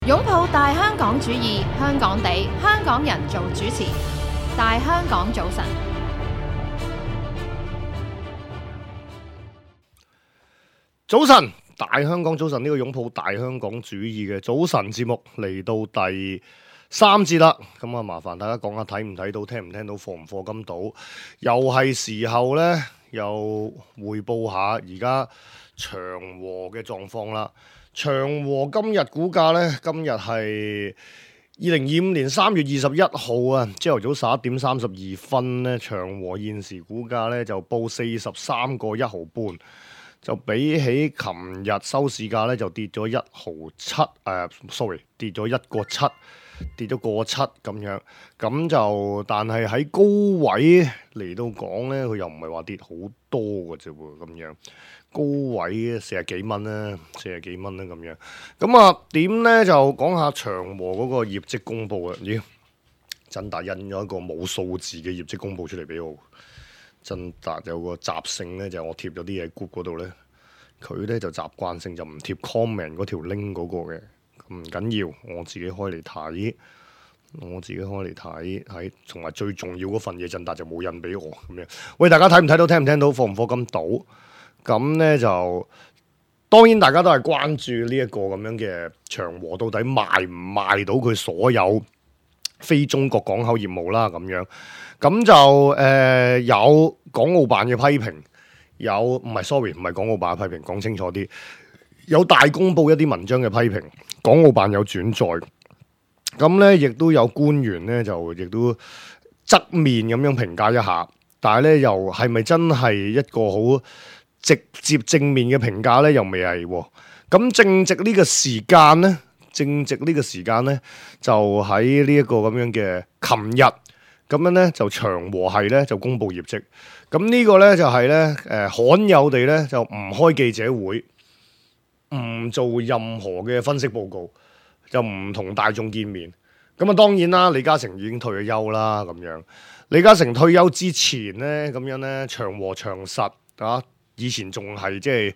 擁抱大香港主義，香港地，香港人做主持。大香港早晨，早晨，大香港早晨，呢個擁抱大香港主義嘅早晨節目嚟到第3節啦。咁啊，麻煩大家講下睇唔睇到，聽唔聽到，課唔課金到，又係時候呢，又匯報下而家長和嘅狀況啦。長和今日股價呢，今日係2025年3月21號啊，朝頭早11點32分呢，長和現時股價呢就報43個1毫半，就比起琴日收市價呢就跌咗1毫7，跌咗1個7，跌咗個7咁樣。咁就但係喺高位嚟到講呢，佢又唔係話跌好多嘅啫喎，咁樣。高位40幾蚊啦，40幾蚊啦咁樣。咁啊點呢？就講下長和嗰個業績公佈啊！咦，振達印咗一個冇數字嘅業績公佈出嚟俾我。振達有個習性呢，就係我貼咗啲嘢 group 嗰度呢，佢呢就習慣性就唔貼 comment 嗰條 link 嗰個嘅。唔緊要，我自己開嚟睇，睇，同埋最重要嗰份嘢，振達就冇印俾我咁樣。喂，大家睇唔睇到？聽唔聽到？課唔課金到？咁呢就當然大家都係關注呢一個咁樣嘅長和到底賣唔賣到佢所有非中國港口業務啦咁樣。咁就有港澳辦嘅批評，唔係港澳辦嘅批評，講清楚啲。有大公報一啲文章嘅批評，港澳辦有轉載。咁呢亦都有官員呢，就亦都側面咁樣評價一下，但係呢又係咪真係一個好直接正面嘅評價呢？又未係喎。咁正值呢個時間呢，就喺呢一個咁樣嘅琴日，咁樣呢，就長和係呢，就公布業績。咁呢個呢，就係呢，罕有地呢，就唔開記者會，唔做任何嘅分析報告，就唔同大眾見面。咁啊當然啦，李嘉誠已經退咗休啦咁樣。李嘉誠退休之前呢，咁樣呢，長和長實啊。以前仲係即係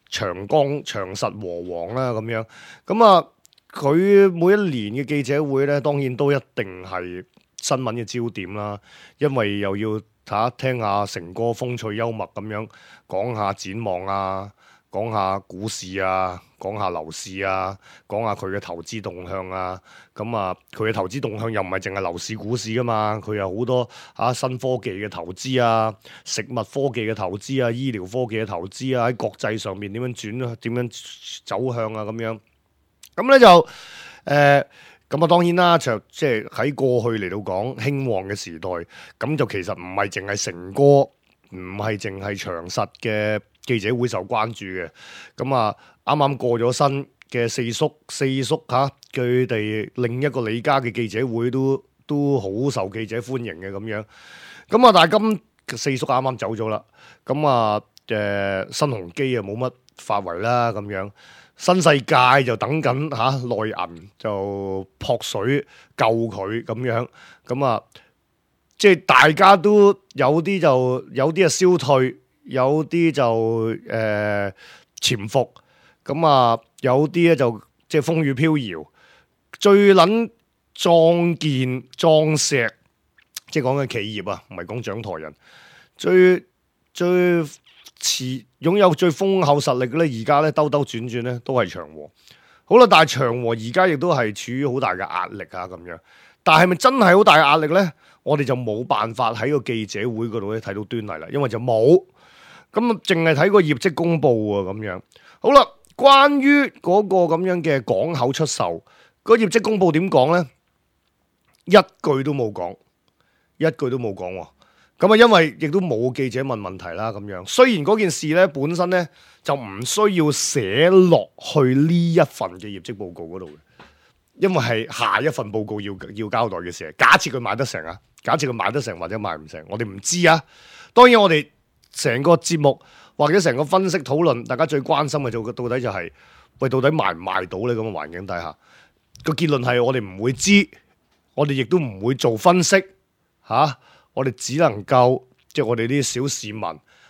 長江長實和黃啦咁樣，咁啊佢每一年嘅記者會咧，當然都一定係新聞嘅焦點啦，因為又要聽下成哥風趣幽默咁樣講下展望啊，講下股市啊，講下樓市啊，講下佢嘅投資動向啊。咁啊佢嘅投資動向又唔係淨係樓市股市噶嘛，佢有好多新科技嘅投資啊，食物科技嘅投資啊，醫療科技嘅投資啊，喺國際上面點樣轉，點樣走向啊咁樣。咁咧就咁啊當然啦，就即係喺過去嚟到講興旺嘅時代，咁就其實唔係淨係成哥，唔係淨係長實嘅記者會受關注嘅。咁啊啱啱過咗身嘅四叔佢哋另一個李家嘅記者會都好受記者歡迎嘅咁樣。咁啊但係四叔啱啱走咗啦。咁啊新鴻基啊冇乜發圍啦咁樣。新世界就等緊內銀就撲水救佢咁樣。咁啊即係大家都有啲啊消退，有啲就潛伏。咁啊有啲咧就即係風雨飄搖，最撚壯健壯碩，即係講緊企業啊，唔係講掌舵人，最擁有最豐厚實力嘅咧，而家咧兜兜轉轉咧都係長和。好啦，但係長和而家亦都係處於好大嘅壓力啊咁樣。但係咪真係好大嘅壓力咧？我哋就冇辦法喺個記者會嗰度咧睇到端倪啦，因為就冇咁啊，淨係睇個業績公佈啊咁樣。好啦。關於嗰個咁樣嘅港口出售，個業績公佈點講呢？一句都冇講喎。咁啊，因為亦都冇記者問問題啦咁樣。雖然嗰件事呢本身呢就唔需要寫落去呢一份嘅業績報告嗰度嘅，因為係下一份報告要交代嘅事。假設佢賣得成啊，假設佢賣得成或者賣唔成，我哋唔知啊。當然我哋成個節目或者成個分析討論，大家最關心嘅就到底就係，喂，到底賣唔賣到呢？咁嘅環境底下，個結論係我哋唔會知，我哋亦都唔會做分析我哋只能夠即係我哋啲小市民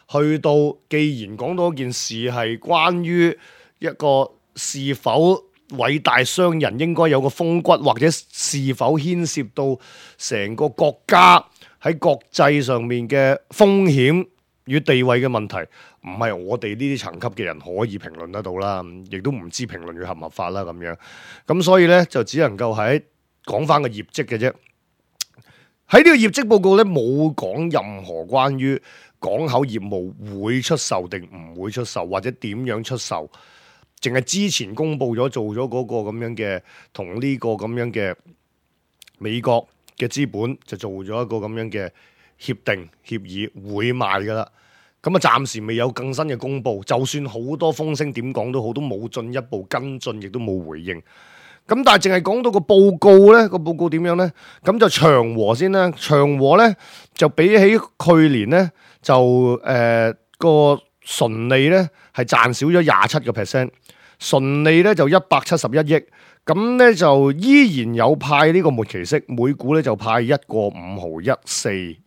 去到，既然講到一件事係關於一個是否偉大商人應該有個風骨，或者是否牽涉到成個國家喺國際上面嘅風險與地位嘅問題，唔係我哋呢啲層級嘅人可以評論得到啦，亦都唔知評論佢合唔合法啦咁樣。咁所以呢，就只能夠喺講翻個業績嘅啫。喺呢個業績報告呢，冇講任何關於港口業務會出售定唔會出售，或者點樣出售，淨係之前公布咗做咗嗰個咁樣嘅同呢個咁樣嘅美國嘅資本就做咗一個咁樣嘅協定協議會賣噶啦。咁啊，暫時未有更新嘅公布，就算好多風聲點講都好，都冇進一步跟進，亦都冇回應。咁但係淨係講到個報告呢，個報告點樣呢？咁就長和先啦。長和呢，就比起去年呢，就個純利呢係賺少咗27%，純利呢就171億。咁呢就依然有派呢個末期息，每股呢就派1個5毫14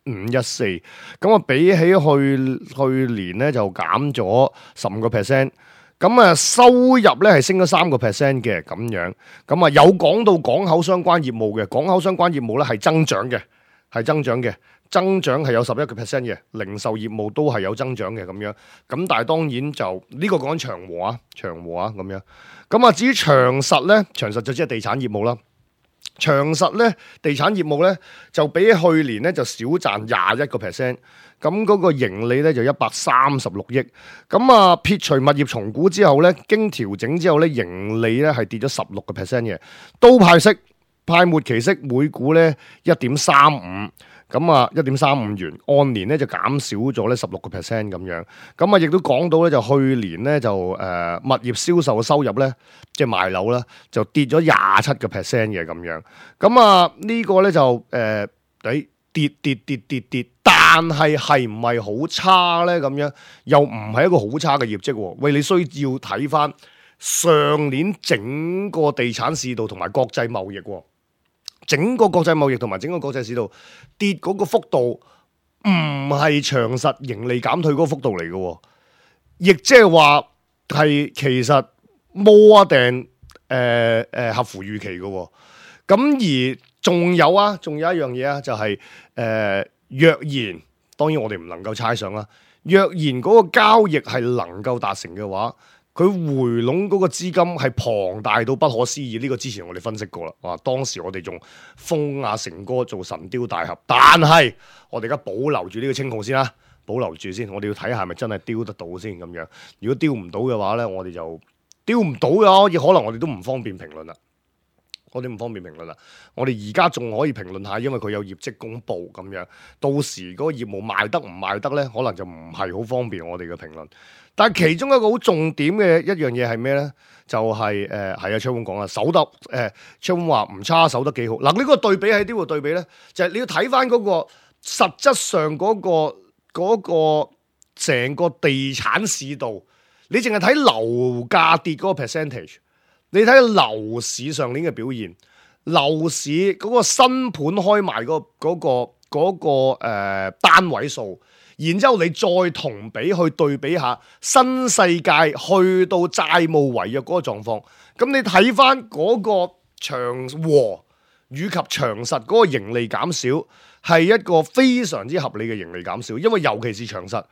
1.514，咁啊比起去年呢就減咗15%。咁啊，收入咧係升咗3% 嘅咁樣，咁啊有講到港口相關業務嘅，港口相關業務咧係增長嘅，增長係有11% 嘅，零售業務都係有增長嘅咁樣。咁但係當然就呢個講緊長和啊咁樣。咁啊至於長實咧，長實就即係地產業務啦。長實咧地產業務咧就比起去年咧就少賺21%。咁嗰個盈利咧就136億，咁啊撇除物業重估之後咧，經調整之後咧，盈利咧係跌咗16% 嘅，都派息，派末期息每股咧1.35，咁啊1.35元，按年咧就減少咗咧16% 咁樣，咁啊亦都講到咧就去年咧就物業銷售嘅收入咧，即係賣樓啦，就跌咗27% 嘅咁樣，咁啊呢個咧就跌，但係唔係好差呢？咁樣又唔係一個好差嘅業績喎。喂，你需要睇翻上年整個地產市道同埋國際貿易喎，整個國際貿易同埋整個國際市道跌嗰個幅度唔係長實盈利減退嗰個幅度嚟嘅，亦即係話係其實more定合乎預期嘅。咁而仲有一樣嘢啊，就係若然當然我哋唔能夠猜想啦。若然嗰個交易係能夠達成嘅話，佢回籠嗰個資金係龐大到不可思議。呢個之前我哋分析過啦。哇，當時我哋仲封阿成哥做神雕大俠，但係我哋而家保留住呢個稱號先啦，保留住先。我哋要睇下係咪真係雕得到先咁樣。如果雕唔到嘅話呢，我哋就雕唔到嘅，可能我哋都唔方便評論啦。我哋而家仲可以評論下，因為佢有業績公布咁樣。到時嗰個業務賣得唔賣得呢，可能就唔係好方便我哋嘅評論。但係其中一個好重點嘅一樣嘢係咩呢？就係係昌永講啦，守得昌永話唔差，守得幾好。嗱，呢個對比喺邊度對比呢？就係你要睇翻嗰個實質上嗰個成個地產市道，你淨係睇樓價跌嗰個 percentage。你睇樓市上年嘅表現，樓市嗰個新盤開賣嗰個單位數，然之後你再同比去對比下新世界去到債務違約嗰個狀況，咁你睇翻嗰個長和以及長實嗰個盈利減少，係一個非常之合理嘅盈利減少，因為尤其是長實，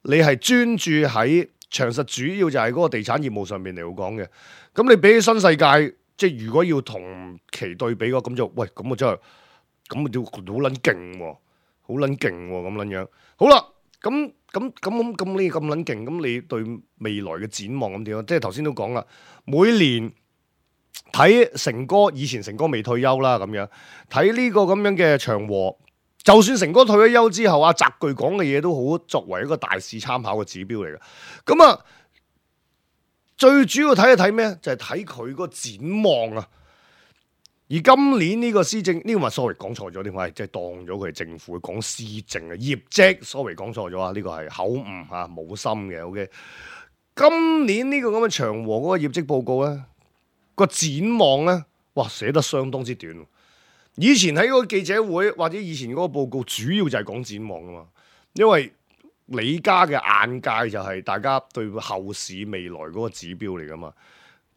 你係專注喺長實主要就係嗰個地產業務上面嚟講嘅。咁你比起新世界，即係如果要同期對比嘅話，咁就喂，咁啊真係，咁啊要好撚勁喎，好撚勁喎，咁撚樣。好啦，咁你咁撚勁，咁你對未來嘅展望咁點啊？即係頭先都講啦，每年睇成哥，以前成哥未退休啦，咁樣睇呢個咁樣嘅長和，就算成哥退咗休之後，阿澤鉅講嘅嘢都好作為一個大市參考嘅指標嚟嘅。咁啊。最主要睇咩？就係睇佢個展望啊！而今年呢個施政，呢個咪 sorry 講錯咗添，我係即係當咗佢係政府講施政啊，業績 sorry 講錯咗啊！呢個係口誤嚇，冇心嘅。OK， 今年呢個咁嘅長和嗰個業績報告咧，個展望咧，哇寫得相當之短。以前喺嗰個記者會或者以前嗰個報告，主要就係講展望啊嘛，因為李家嘅眼界就係大家對後市未來嗰個指標嚟噶嘛，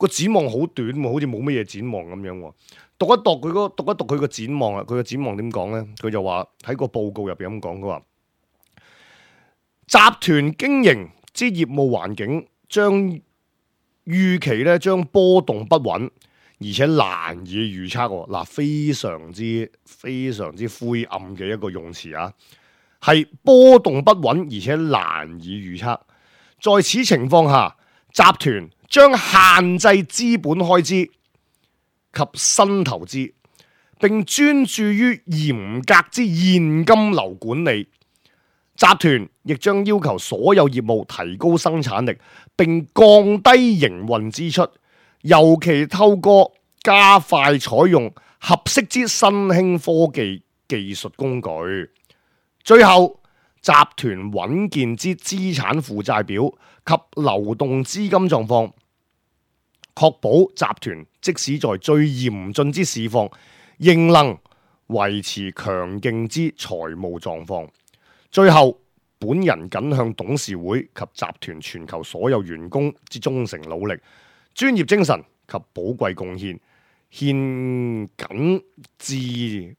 個展望好短喎，好似冇乜嘢展望咁樣喎。讀一讀佢個展望啊，佢個展望點講咧？佢就話喺個報告入邊咁講，佢話集團經營之業務環境將預期咧將波動不穩，而且難以預測喎。嗱，非常之灰暗嘅一個用詞啊，係波動不穩而且難以預測。在此情況下，集團將限制資本開支及新投資，並專注於嚴格之現金流管理。集團亦將要求所有業務提高生產力，並降低營運支出，尤其透過加快採用合適之新興科技技術工具。最後，集團穩健之資產負債表及流動資金狀況，確保集團即使在最嚴峻之市況，仍能維持強勁之財務狀況。最後，本人謹向董事會及集團全球所有員工之忠誠努力、專業精神及寶貴貢獻，獻謹致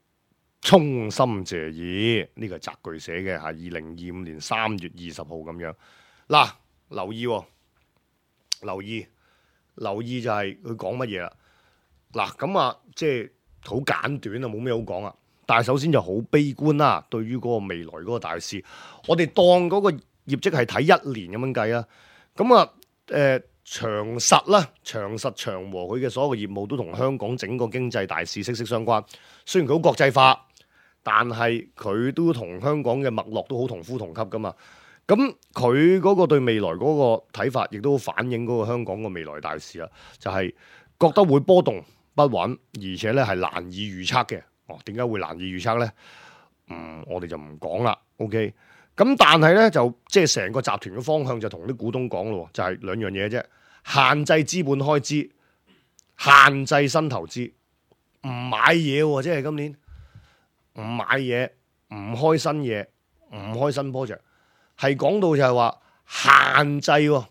衷心謝意。呢個係摘句寫嘅，係2025年3月20號咁樣。嗱，留意就係佢講乜嘢啦。嗱，咁啊，即係好簡短啊，冇咩好講啊。但係首先就好悲觀啦，對於嗰個未來嗰個大市，我哋當嗰個業績係睇1年咁樣計啊。咁啊，長實長和佢嘅所有業務都同香港整個經濟大市息息相關。雖然佢好國際化，但係佢都同香港嘅脈絡都好同呼同吸噶嘛。咁佢嗰個對未來嗰個睇法，亦都反映嗰個香港嘅未來大市啊，就係覺得會波動不穩，而且咧係難以預測嘅。點解會難以預測呢？我哋就唔講啦。OK， 咁但係呢，就即係成個集團嘅方向就同啲股東講咯，就係兩樣嘢啫：限制資本開支，限制新投資，唔買嘢喎。即係今年唔買嘢，唔開新嘢，唔開新 project， 係講到就係話限制喎，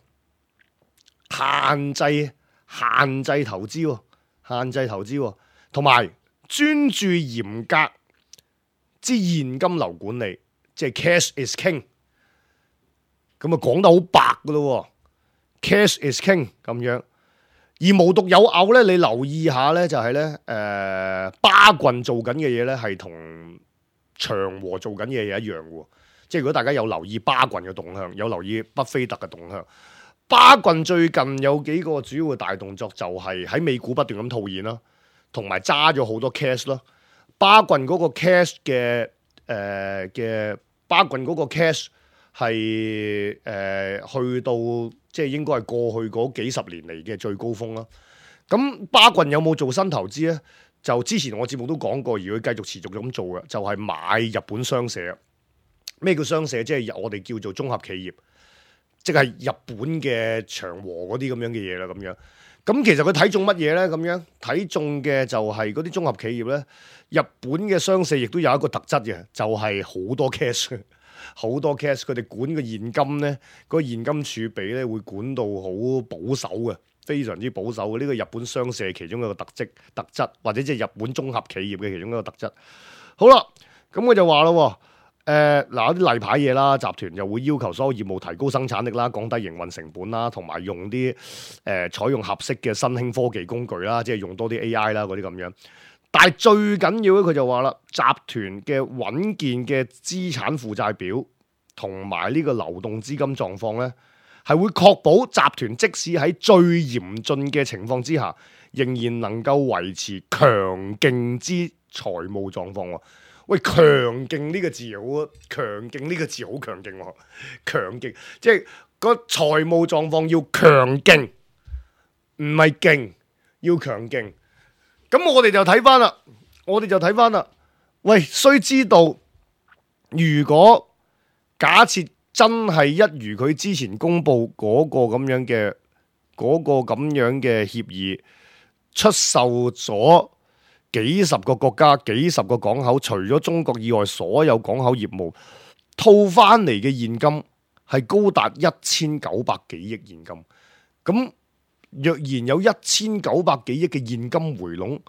限制投資喎，限制投資喎，同埋專注嚴格之現金流管理，即係 cash is king。咁啊講得好白噶咯，cash is king 咁樣。而無獨有偶咧，你留意下咧，就係咧，巴郡做緊嘅嘢咧，係同長和做緊嘅嘢一樣嘅。即係如果大家有留意巴郡嘅動向，有留意巴菲特嘅動向，巴郡最近有幾個主要嘅大動作，就係喺美股不斷咁套現啦。同埋揸咗好多 cash 咯，巴郡嗰個 cash 巴郡嗰個 cash 係去到即係應該係過去嗰幾十年嚟嘅最高峰啦。咁巴郡有冇做新投資咧？就之前我節目都講過，而佢繼續持續咁做嘅，就係買日本商社。咩叫商社？即係我哋叫做綜合企業，即係日本嘅長和嗰啲咁樣嘅嘢啦，咁樣。咁其實佢睇中乜嘢呢？咁樣睇中嘅就係嗰啲綜合企業呢。日本嘅商社亦都有一個特質嘅，就係好多 cash， 好多 cash。佢哋管嘅現金呢，嗰個現金儲備呢會管到好保守嘅，非常之保守嘅。呢個日本商社其中一個特質，或者即係日本綜合企業嘅其中一個特質。好啦，咁我就話咯。嗱，有啲例牌嘢啦，集團就會要求所有業務提高生產力啦，降低營運成本啦，同埋用啲採用合適嘅新興科技工具啦，即係用多啲 AI 啦嗰啲咁樣。但係最緊要咧，佢就話啦，集團嘅穩健嘅資產負債表同埋呢個流動資金狀況咧，係會確保集團即使喺最嚴峻嘅情況之下，仍然能夠維持強勁之財務狀況。喂，強勁呢個字好，強勁呢個字好強勁喎，強勁即係個財務狀況要強勁，唔係勁，要強勁。咁我哋就睇翻啦，喂，須知道，如果假設真係一如佢之前公布嗰個咁樣嘅協議，出售咗幾十個國家、幾十個港口，除咗中國以外，所有港口業務套翻嚟嘅現金係高達1900幾億現金。咁若然有1900幾億嘅現金回籠，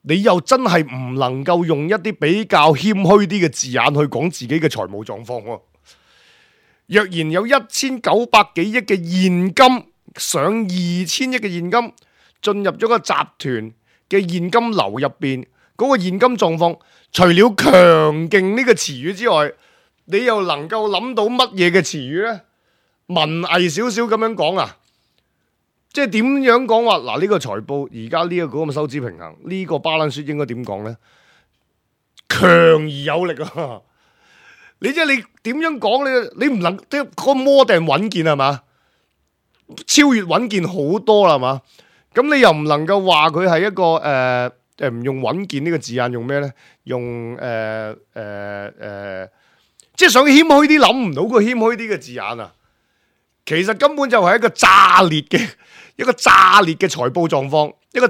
你又真係唔能夠用一啲比較謙虛啲嘅字眼去講自己嘅財務狀況喎。若然有1900幾億嘅現金上2000億嘅現金進入咗個集團嘅現金流入邊，嗰個現金狀況，除了強勁呢個詞語之外，你又能夠諗到乜嘢嘅詞語呢？文藝少少咁樣講啊，即係點樣講話？嗱，呢個財報而家呢一個咁嘅收支平衡，呢個 balance sheet 應該點講呢？強而有力啊！你即係你點樣講？你唔能即係個摩定穩健係嘛？超越穩健好多啦係嘛？咁你又唔能夠話佢係一個唔用穩健呢個字眼，用咩呢？用即係想謙虛啲，諗唔到個謙虛啲嘅字眼啊！其實根本就係一個炸裂嘅財報狀況，一個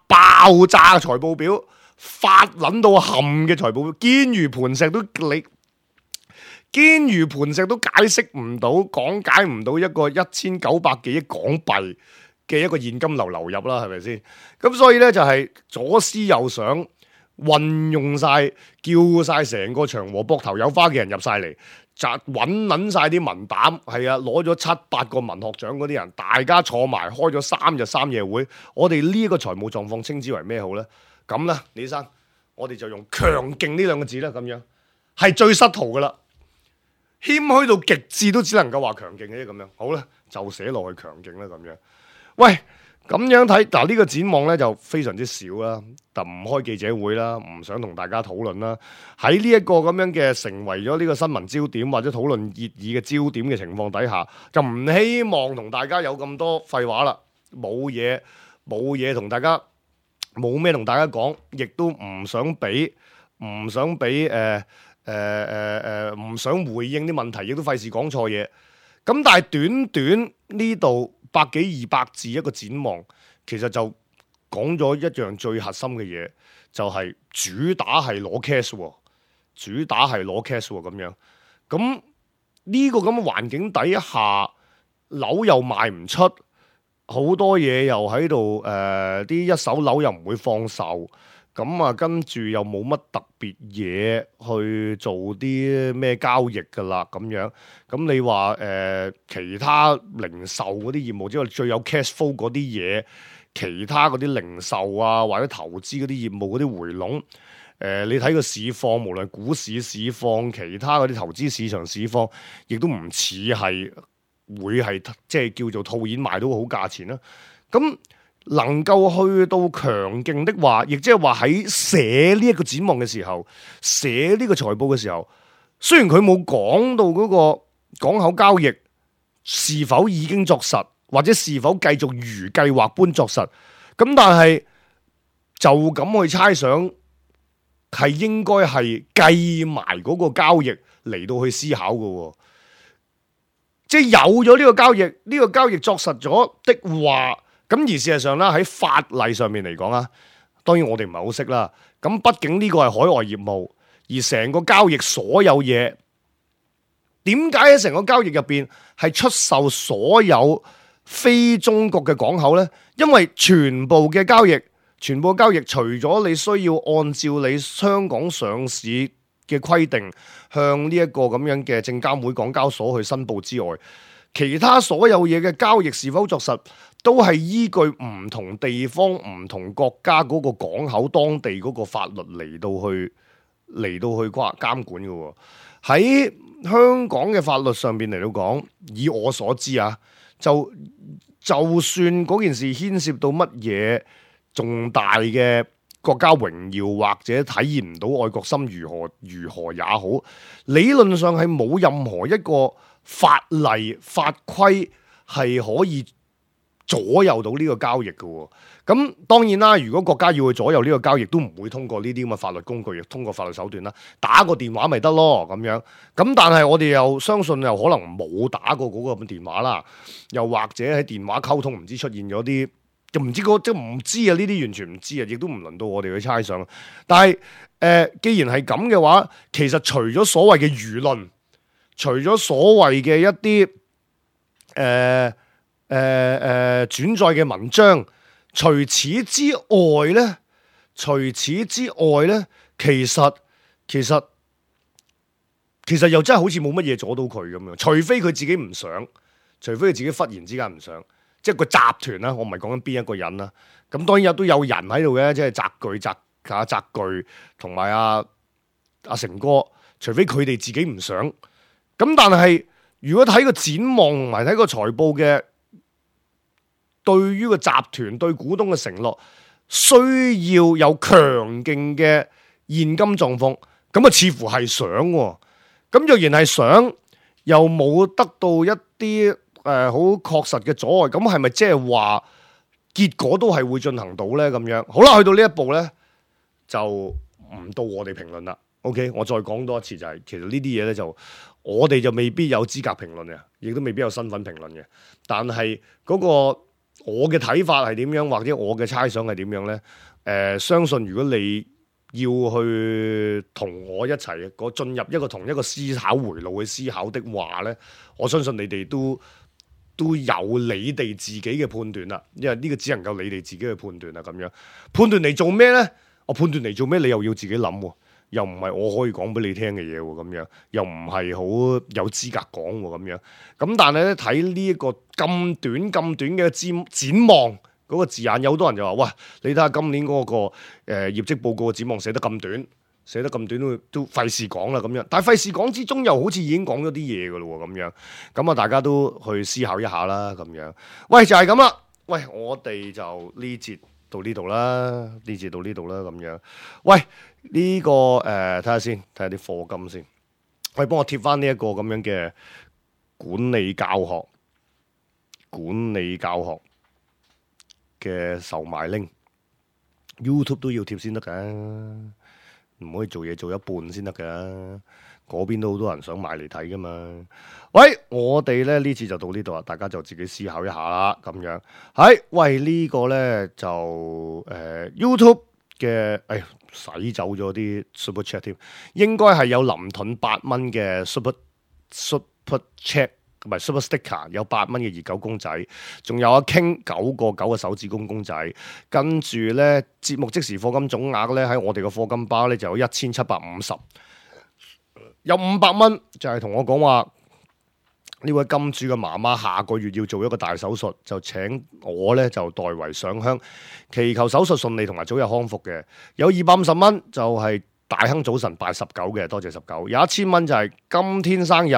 爆炸嘅財報表，發撚到冚嘅財報表，堅如磐石都解釋唔到，講解唔到一個1900幾億港幣嘅一個現金流入啦，係咪先？咁所以呢，就係左思右想，運用晒，叫晒成個長和膊頭有花嘅人入晒嚟。揾撚晒啲文膽，係啊，攞咗7-8個文學獎嗰啲人，大家坐埋開咗3日3夜會。我哋呢一個財務狀況稱之為咩好呢？咁啦，李生，我哋就用強勁呢兩個字啦，咁樣係最失途噶啦，謙虛到極致都只能夠話強勁嘅啫，咁樣好啦，就寫落去強勁啦，咁樣。喂，咁樣睇嗱，呢個展望呢就非常之少啦，就唔開記者會啦，唔想同大家討論啦。喺呢一個咁樣嘅成為咗呢個新聞焦點或者討論熱議嘅焦點嘅情況底下，就唔希望同大家有咁多廢話啦，冇嘢同大家冇咩同大家講，亦都唔想俾唔想回應啲問題，亦都費事講錯嘢。咁但係短呢度100幾200字一個展望，其實就講咗一樣最核心嘅嘢，就係主打係攞 cash 咁樣。咁呢個咁嘅環境底下，樓又賣唔出，好多嘢又喺度啲一手樓又唔會放售，咁啊跟住又冇乜特別嘢去做啲咩交易噶啦咁樣。咁你話其他零售嗰啲業務之外，最有 cash flow 嗰啲嘢，其他嗰啲零售啊或者投資嗰啲業務嗰啲回籠，你睇個市況，無論股市市況，其他嗰啲投資市場市況，亦都唔似係會係即係叫做套現賣到好價錢啦。咁能夠去到強勁的話，亦即係話喺寫呢一個展望嘅時候，寫呢個財報嘅時候，雖然佢冇講到嗰個港口交易是否已經作實，或者是否繼續如計劃般作實，咁但係就咁去猜想，係應該係計埋嗰個交易嚟到去思考嘅，即係有咗呢個交易，呢個交易作實咗的話，咁而事實上啦，喺法例上面嚟講啊，當然我哋唔係好識啦。咁畢竟呢個係海外業務，而成個交易所有嘢，點解喺成個交易入邊係出售所有非中國嘅港口呢？因為全部嘅交易，除咗你需要按照你香港上市嘅規定，向呢一個咁樣嘅證監會港交所去申報之外，其他所有嘢嘅交易是否作實，都係依據唔同地方、唔同國家嗰個港口當地嗰個法律嚟到去監管嘅。喺香港嘅法律上邊嚟到講，以我所知啊，就算嗰件事牽涉到乜嘢重大嘅國家榮耀，或者體現唔到愛國心如何也好，理論上係冇任何一個法例法規係可以左右到呢個交易嘅。咁當然啦，如果國家要去左右呢個交易，都唔會通過呢啲咁嘅法律工具，亦通過法律手段啦，打個電話咪得咯咁樣。咁但係我哋又相信又可能冇打過嗰個咁嘅電話啦，又或者喺電話溝通唔知出現咗啲，就唔知即唔知啊，呢啲完全唔知啊，亦都唔輪到我哋去猜想。但係既然係咁嘅話，其實除咗所謂嘅輿論，除咗所謂嘅一啲轉載嘅文章。除此之外咧，其實又真係好似冇乜嘢阻到佢咁樣，除非佢自己唔想，除非佢自己忽然之間唔想，即係個集團啦，我唔係講緊邊一個人啦。咁當然都有人喺度嘅，即係澤巨同埋阿成哥，除非佢哋自己唔想。咁但係如果睇個展望同埋睇個財報嘅，對於個集團對股東嘅承諾，需要有強勁嘅現金狀況，咁啊似乎係想喎。咁若然係想，又冇得到一啲好確實嘅阻礙，咁係咪即係話結果都係會進行到呢？咁樣好啦，去到呢一步呢，就唔到我哋評論啦。OK， 我再講多一次就係，其實呢啲嘢呢，就我哋就未必有資格評論嘅，亦都未必有身份評論嘅。但係嗰個我嘅睇法係點樣，或者我嘅猜想係點樣呢？相信如果你要去同我一齊進入同一個思考回路去思考的話呢，我相信你哋都有你哋自己嘅判斷啦，因為呢個只能夠你哋自己去判斷啦。咁樣判斷嚟做咩呢？我判斷嚟做咩？你又要自己諗喎，又唔係我可以講俾你聽嘅嘢喎，咁樣又唔係好有資格講喎，咁樣咁但係咧睇呢一個咁短嘅展望。嗰個字眼有好多人就話：喂，你睇下今年嗰個業績報告嘅展望寫得咁短，都費事講啦咁樣。但係費事講之中，又好似已經講咗啲嘢噶咯喎咁樣。咁啊，大家都去思考一下啦咁樣。喂，就係咁啦。喂，我哋就呢節到呢度啦，咁樣。喂，呢個睇下先，睇下啲課金先。喂，幫我貼翻呢一個咁樣嘅管理教學嘅售賣 link YouTube 都要貼先得噶，唔可以做嘢做一半先得噶。嗰邊都好多人想買嚟睇噶嘛。喂，我哋咧呢次就到呢度啦，大家就自己思考一下啦。咁樣係喂呢個咧就YouTube 嘅洗走咗啲 Super Chat 添，應該係有林盾8蚊嘅 Super Chat。同埋 Super Sticker 有8蚊嘅熱狗公仔，仲有阿 King 9個9嘅手指公仔，跟住咧節目即時課金總額咧喺我哋嘅課金包咧就有1750，有500蚊就係同我講話呢位金主嘅媽媽下個月要做一個大手術，就請我咧就代為上香，祈求手術順利同埋早日康復嘅。有250蚊就係大亨早晨拜19嘅，多謝19。有1000蚊就係今天生日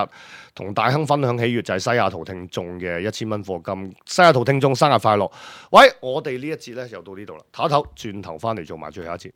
同大亨分享喜悅，就係西雅圖聽眾嘅1000蚊課金。西雅圖聽眾生日快樂！喂，我哋呢一節咧又到呢度啦，唞一唞，轉頭翻嚟做埋最後一節。